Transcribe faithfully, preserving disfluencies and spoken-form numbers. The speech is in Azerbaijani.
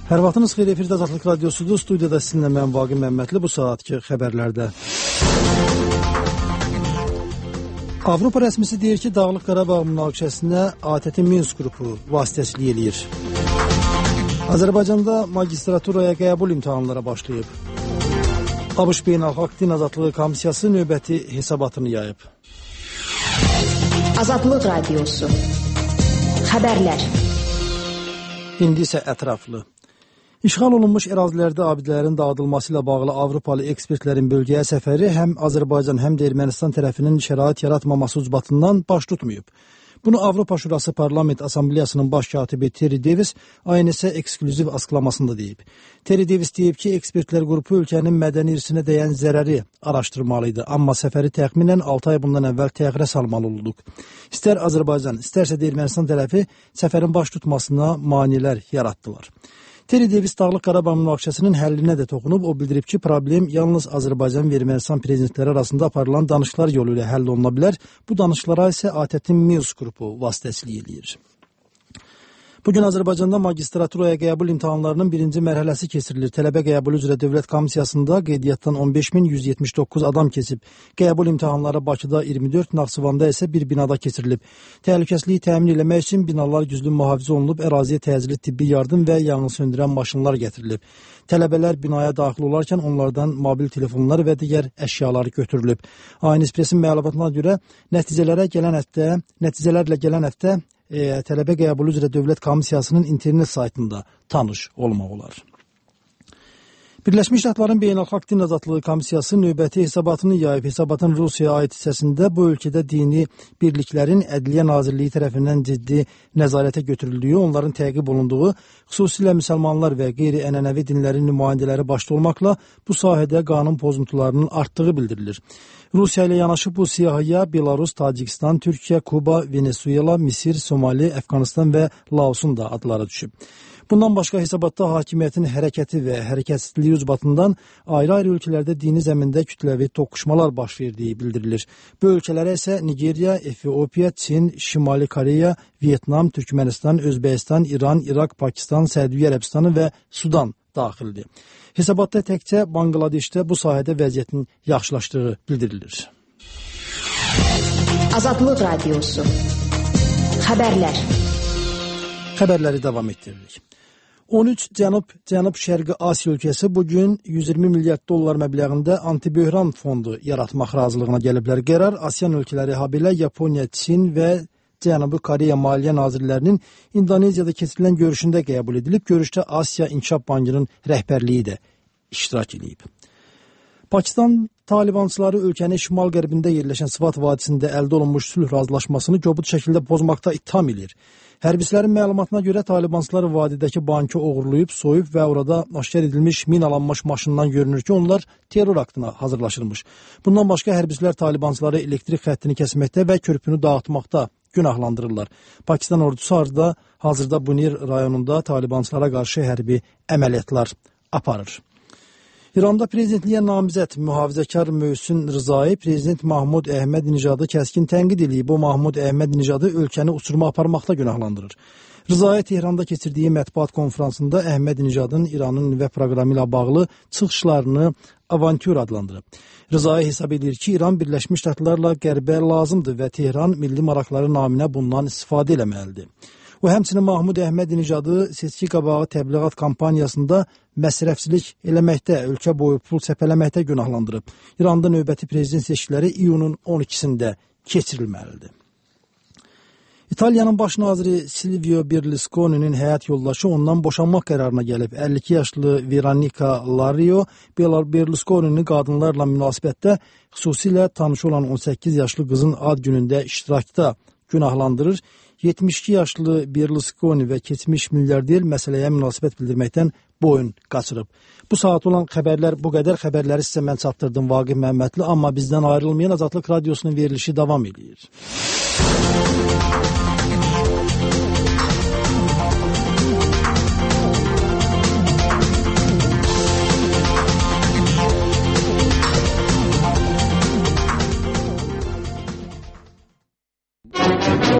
Hər vaxtınız xeyir, efirdə Azadlıq Radiosudur. Studiyada sizinlə mən Vaqif Məmmədli. Bu saatki xəbərlərdə. Avropa rəsmisi deyir ki, Dağlıq Qarabağ münaqişəsinə A T T Minsk qrupu vasitəçilik eləyir. Azərbaycanda magistraturaya qəbul imtahanlara başlayıb. ABŞ Beynəlxalq Din Azadlığı Komissiyası növbəti hesabatını yayıb. Azadlıq Radiosu. Xəbərlər. İndi isə ətraflı. İşğal olunmuş ərazilərdə abidələrin dağıdılması ilə bağlı Avropalı ekspertlərin bölgəyə səfəri həm Azərbaycan, həm də Ermənistan tərəfinin şərait yaratmaması ucbatından baş tutmayıb. Bunu Avropa Şurası Parlament Assambleyasının baş katibi Terry Davis I N S-ə eksklüziv açıqlamasında deyib. Terry Davis deyib ki, ekspertlər qrupu ölkənin mədəni irsinə dəyən zərəri araşdırmalıydı, amma səfəri təxminən altı ay bundan əvvəl təxirə salmalı olduq. İstər Azərbaycan, istərsə də Ermənistan tərəfi səfərin baş tutmasına maneələr yaratdılar. Terry Davis Dağlıq Qarabağ münaqişəsinin həllinə də toxunub, o bildirib ki, problem yalnız Azərbaycan və Ermənistan prezidentləri arasında aparılan danışıqlar yolu ilə həll oluna bilər. Bu danışıqlara isə A T T Minsk qrupu vasitəçilik eləyir. Bugün Azərbaycanda magistraturaya qəbul imtahanlarının birinci mərhələsi keçirilir. Tələbə qəbulu üzrə Dövlət Komissiyasında qeydiyyatdan on beş min yüz yetmiş doqquz adam keçib. Qəbul imtahanları Bakıda iyirmi dörd, Naxçıvanda isə bir binada keçirilib. Təhlükəsizliyi təmin etmək üçün binalar güclü mühafizə olunub, əraziyə təcili tibbi yardım və yanğın söndürən maşınlar gətirilib. Tələbələr binaya daxil olarkən onlardan mobil telefonlar və digər əşyaları götürülüb. A N S Press-in məlumatına görə nəticələrə gələn həftə, nəticələrlə gələn həftə E, tələbə qəbulu üzrə Dövlət Komissiyasının internet saytında tanış olmaq olar. Birləşmiş Ştatların Beynəlxalq Din Azadlığı Komissiyası növbəti hesabatını yayıb. Hesabatın Rusiyaya aid hissəsində bu ölkədə dini birliklərin Ədliyyə Nazirliyi tərəfindən ciddi nəzarətə götürüldüyü, onların təqib olunduğu, xüsusilə müsəlmanlar və qeyri-ənənəvi dinlərin nümayəndələri başda olmaqla bu sahədə qanun pozuntularının artdığı bildirilir. Rusiya ilə yanaşı bu siyahıya Belarus, Tacikistan, Türkiyə, Kuba, Venezuela, Misir, Somali, Əfqanistan və Laosun da adları düşüb. Bundan başqa hesabatda hakimiyyətin hərəkəti və hərəkətsizliyi ucbatından ayrı-ayrı ölkələrdə dini zəmində kütləvi toqquşmalar baş verdiyi bildirilir. Bu ölkələrə isə Nigeriya, Efiopiya, Çin, Şimali Koreya, Vyetnam, Türkmənistan, Özbəkistan, İran, İraq, Pakistan, Səudiyyə Ərəbistanı və Sudan daxildir. Hesabatda təkcə Banqladeşdə bu sahədə vəziyyətin yaxşılaşdığı bildirilir. Azadlıq Radiosu. Xəbərlər. Xəbərləri davam etdiririk. on üç Cənub Cənub Şərqi Asiya ölkəsi bugün yüz iyirmi milyard dollar məbləğində antiböhran fondu yaratmaq razılığına gəliblər. Qərar ASEAN ölkələri habelə Yaponiya, Çin və Cənubi Koreya Maliyyə Nazirlərinin İndoneziyada keçirilən görüşündə qəbul edilib. Görüşdə Asiya İnkişaf Bankının rəhbərliyi də iştirak edib. Pakistan Talibançıları ölkənin şimal-qərbində yerləşən Sıvat vadisində əldə olunmuş sülh razılaşmasını kobud şəkildə pozmaqda ittiham edir. Hərbçilərin məlumatına görə Talibançılar vadidəki bankı oğurlayıb, soyub və orada aşkar edilmiş minalanmış maşından görünür ki, onlar terror aktına hazırlaşırmış. Bundan başqa hərbçilər Talibançıları elektrik xəttini kəsməkdə və körpünü dağıtmaqda günahlandırırlar. Pakistan ordusu hazırda, hazırda Bunir rayonunda Talibançılara qarşı hərbi əməliyyatlar aparır. İranda prezidentliyə namizəd mühafizəkar Möhsün Rızai prezident Mahmud Əhməd-Nijadı kəskin tənqid edib. Bu Mahmud Əhməd-Nijadı ölkəni uçuruma aparmaqda günahlandırır. Rızai Tehranda keçirdiyi mətbuat konferansında Əhməd-Nijadın İranın nüvə proqramı ilə bağlı çıxışlarını avantür adlandırıb. Rızai hesab edir ki, İran Birləşmiş Ştatlarla qərbə lazımdır və Tehran milli maraqları naminə bundan istifadə eləməlidir. O həmçinin Mahmud Əhməd-Nijadı seçki qabağı təbliğat kampaniyasında məsrəfçilik eləməkdə, ölkə boyu pul səpələməkdə günahlandırıb. İranda növbəti prezident seçkiləri iyunun on ikisində keçirilməlidir. İtaliyanın baş naziri Silvio Berlusconi'nin həyat yoldaşı ondan boşanmaq qərarına gəlib. əlli iki yaşlı Veronica Lario Berlusconi'nin qadınlarla münasibətdə, xüsusilə tanışı olan on səkkiz yaşlı qızın ad günündə iştirakda günahlandırır. yetmiş iki yaşlı Berlusconi və keçmiş milyarder məsələyə münasibət bildirməkdən boyun qaçırıb. Bu saat olan xəbərlər bu qədər. Xəbərləri sizə mən çatdırdım Vaqif Məmmədli, amma bizdən ayrılmayan Azadlıq Radiosunun verilişi davam edir.